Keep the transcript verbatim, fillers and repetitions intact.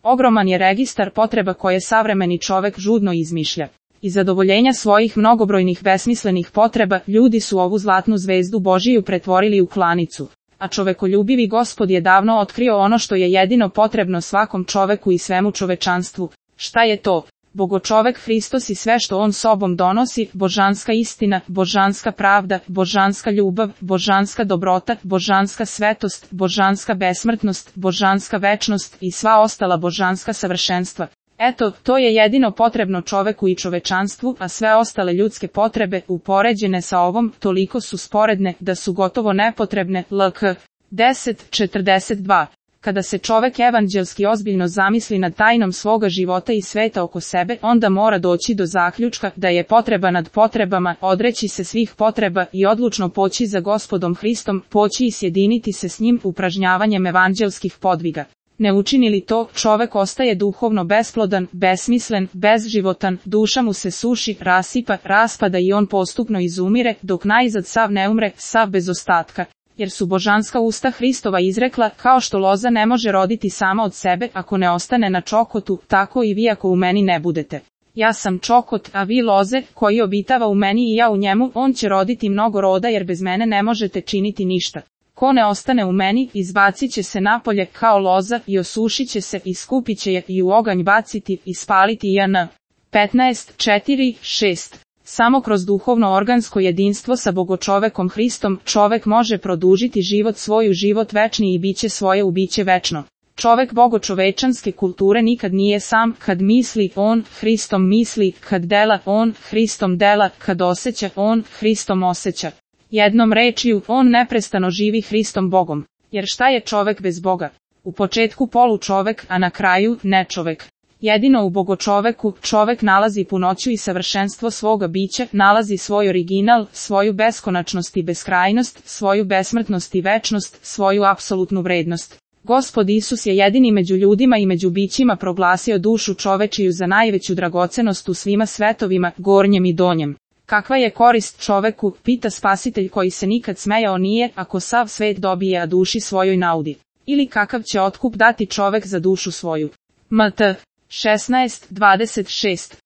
Ogroman je registar potreba koje savremeni čovek žudno izmišlja. I zadovoljenja svojih mnogobrojnih besmislenih potreba, ljudi su ovu zlatnu zvezdu Božiju pretvorili u klanicu. A čovekoljubivi Gospod je davno otkrio ono što je jedino potrebno svakom čoveku i svemu čovečanstvu. Šta je to? Bogočovek Hristos i sve što on sobom donosi, božanska istina, božanska pravda, božanska ljubav, božanska dobrota, božanska svetost, božanska besmrtnost, božanska večnost i sva ostala božanska savršenstva. Eto, to je jedino potrebno čoveku i čovečanstvu, a sve ostale ljudske potrebe, upoređene sa ovom, toliko su sporedne, da su gotovo nepotrebne. L K deset četrdeset dva. Kada se čovek evanđelski ozbiljno zamisli nad tajnom svoga života i sveta oko sebe, onda mora doći do zaključka da je potreba nad potrebama, odreći se svih potreba i odlučno poći za Gospodom Hristom, poći i sjediniti se s njim upražnjavanjem evanđelskih podviga. Ne učini li to, čovek ostaje duhovno besplodan, besmislen, bezživotan, duša mu se suši, rasipa, raspada i on postupno izumire, dok najzad sav ne umre, sav bez ostatka. Jer su božanska usta Hristova izrekla, kao što loza ne može roditi sama od sebe ako ne ostane na čokotu, tako i vi ako u meni ne budete. Ja sam čokot, a vi loze, koji obitava u meni i ja u njemu, on će roditi mnogo roda jer bez mene ne možete činiti ništa. Ko ne ostane u meni, izbacit će se napolje kao loza i osušit će se i skupit će je i u oganj baciti i spaliti j n petnaest četiri šest. Samo kroz duhovno organsko jedinstvo sa bogočovekom Hristom, čovek može produžiti život svoj u život večni i biće svoje u biće večno. Čovek bogočovečanske kulture nikad nije sam, kad misli, on, Hristom misli, kad dela, on, Hristom dela, kad osjeća, on, Hristom osjeća. Jednom rečju, on neprestano živi Hristom Bogom. Jer šta je čovek bez Boga? U početku polu čovek, a na kraju ne čovek. Jedino u bogočoveku, čovek nalazi punoću i savršenstvo svoga bića, nalazi svoj original, svoju beskonačnost i beskrajnost, svoju besmrtnost i večnost, svoju apsolutnu vrednost. Gospod Isus je jedini među ljudima i među bićima proglasio dušu čovečiju za najveću dragocenost u svima svetovima, gornjem i donjem. Kakva je korist čoveku, pita Spasitelj koji se nikad smejao nije, ako sav svet dobije a duši svojoj naudi. Ili kakav će otkup dati čovek za dušu svoju. M T šesnaest dvadeset šest